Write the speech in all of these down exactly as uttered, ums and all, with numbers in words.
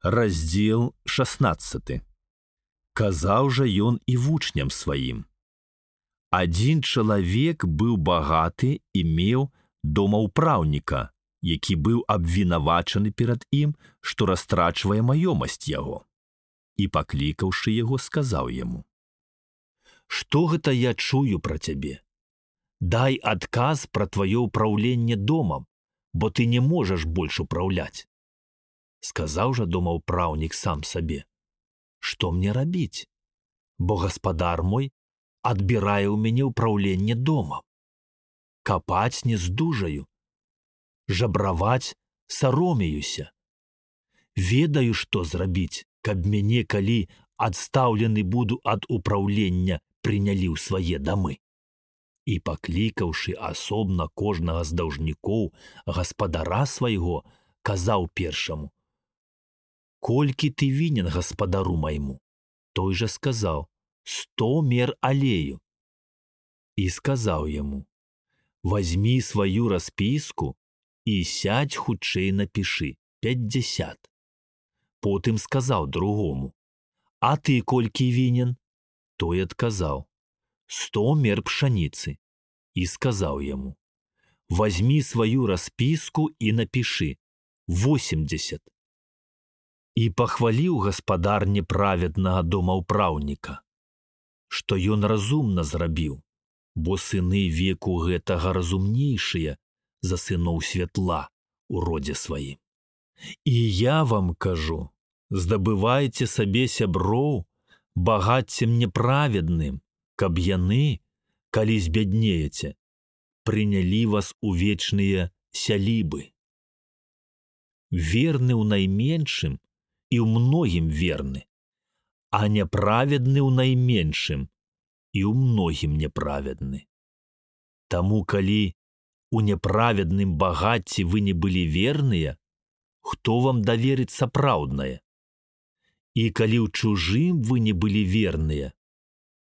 Раздзел шаснаццаты. Казаў жа ён і вучням сваім. Адзін чалавек быў багаты і меў домаўпраўніка, які быў абвінавачаны перад ім, што растрачвае маёмасць яго. І, паклікаўшы яго, сказаў яму: «Што гэта я чую пра цябе? Дай адказ пра тваё ўпраўленне домам, бо ты не можаш больш упраўляць». Сказаў жа домаўпраўнік сам сабе: «Што мне рабіць? Бо гаспадар мой адбірае ў мяне ўпраўленне домам. Капаць не здужаю, жабраваць саромеюся. Ведаю, што зрабіць, каб мяне, калі адстаўлены буду ад упраўлення, прынялі ў свае дамы». І, паклікаўшы асобна кожнага з даўжнікоў гаспадара свайго, казаў першаму: «Колькі ты вінен гаспадару майму?» Той жа сказаў: «Сто мер алею». І сказаў яму: «Вазьмі сваю распіску і сядь хутчэй напішы пяцьдзясят». Потым сказаў другому: «А ты колькі вінен?» Той адказаў: «Сто мер пшаніцы». І сказаў яму: «Вазьмі сваю распіску і напішы восемьдесят». І пахваліў гаспадар неправеднага домаўпраўніка, што ён разумна зрабіў, бо сыны веку гэтага разумнейшыя за сыноў святла у родзе сваім. І я вам кажу, здабывайце сабе сяброў багаццем неправедным, каб яны, калі збяднееце, прынялі вас у вечныя сялібы. Верны ў найменшым і ў многім верны, а няправедны ў найменшым і ў многім няправедны. Таму, калі у няправедным багацці вы не былі верныя, хто вам даверыць сапраўднае? І калі ў чужым вы не былі верныя,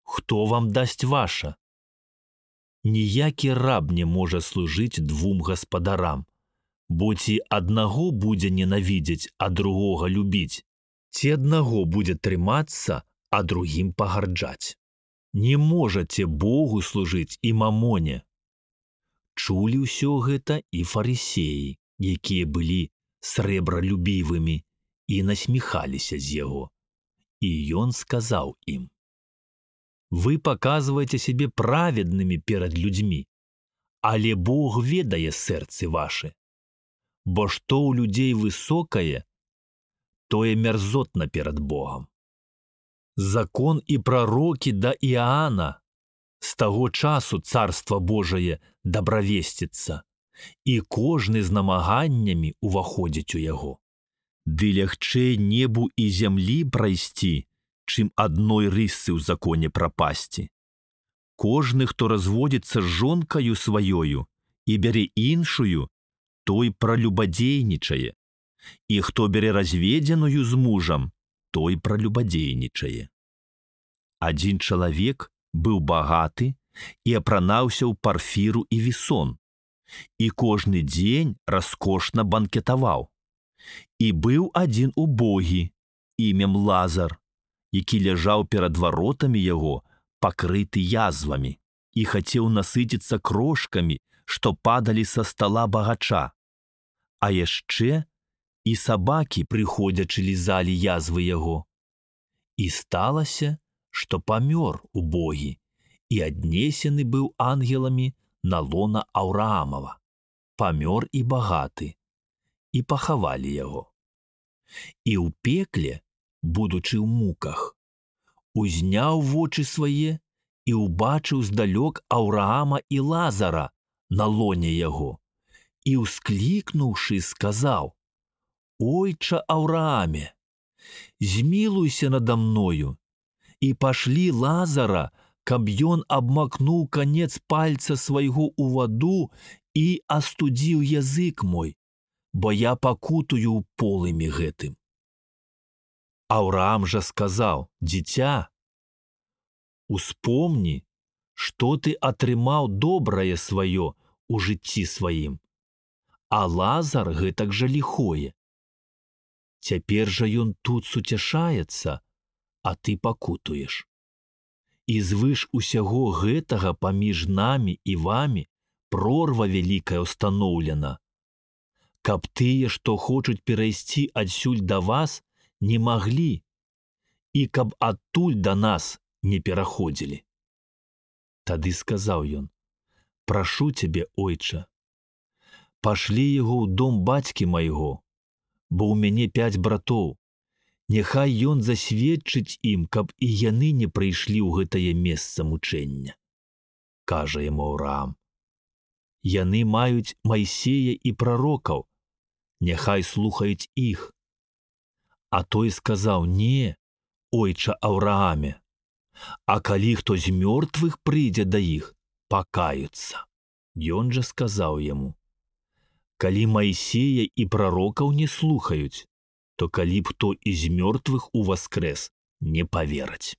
хто вам дасць ваша? Ніякі раб не можа служыць двум гаспадарам, бо ці аднаго будзе ненавідзець, а другога любіць, ці аднаго будзе трымацца, а другім пагарджаць. Не можаце Богу служыць і мамоне». Чулі ўсё гэта і фарысеі, якія былі срэбралюбівымі, і насміхаліся з яго. І ён сказаў ім: «Вы паказваеце сябе праведнымі перад людзьмі, але Бог ведае сэрцы вашы. Бо што ў людзей высокае, тое мярзотна перад Богам. Закон і прарокі да Іаана, з таго часу царства Божае дабравесціцца, і кожны з намаганнямі уваходзіць у яго. Ды лягчэй небу і зямлі прайсці, чым адной рысцы ў законе прапасці. Кожны, хто разводзіцца з жонкаю сваёю і бярэ іншую, той пралюбадзейнічае, і хто бярэ разведзеную з мужам, той пралюбадзейнічае. Адзін чалавек быў багаты і апранаўся ў парфіру і вісон, і кожны дзень раскошна банкетаваў. І быў адзін убогі, імем Лазар, які ляжаў перад варотамі яго, пакрыты язвамі, і хацеў насыціцца крошкамі, што падалі са стала багача. А яшчэ і сабакі, прыходзячы, лізалі язвы яго. І сталася, што памёр убогі, і аднесены быў ангеламі на лона Аўраамава. Памёр і багаты, і пахавалі яго. І ў пекле, будучы ў муках, узняў вочы свае і ўбачыў здалёк Аўраама і Лазара на лоне яго, і, усклікнуўшы, сказаў: «Ойча Аўрааме, змілуйся нада мною, і пашлі Лазара, каб ён абмакнуў канец пальца свайго ў ваду і астудзіў язык мой, бо я пакутую ў полымі гэтым». Аўраам жа сказаў: «Дзіця, успомні, што ты атрымаў добрае сваё у жыцці сваім, а Лазар гэтак жа ліхое. Цяпер жа ён тут суцяшаецца, а ты пакутуеш. І звыш усяго гэтага паміж намі і вамі прорва вялікая ўстаноўлена, каб тыя, што хочуць перайсці адсюль да вас, не маглі, і каб адтуль да нас не пераходзілі. Тады сказаў ён: прашу цябе, ойча, пашлі яго ў дом бацькі майго, бо ў мяне пяць братоў, няхай ён засведчыць ім, каб і яны не прыйшлі ў гэтае месца мучэння. Кажа яму Авраам: яны маюць Майсея і прарокаў, няхай слухаюць іх. А той сказаў: не, ойча Аврааме, а калі хто з мёртвых прыйдзе да іх, пакаюцца. Ён жа сказаў яму: калі Майсея і прарокаў не слухаюць, то калі б хто і з мёртвых уваскрэс, не павераць.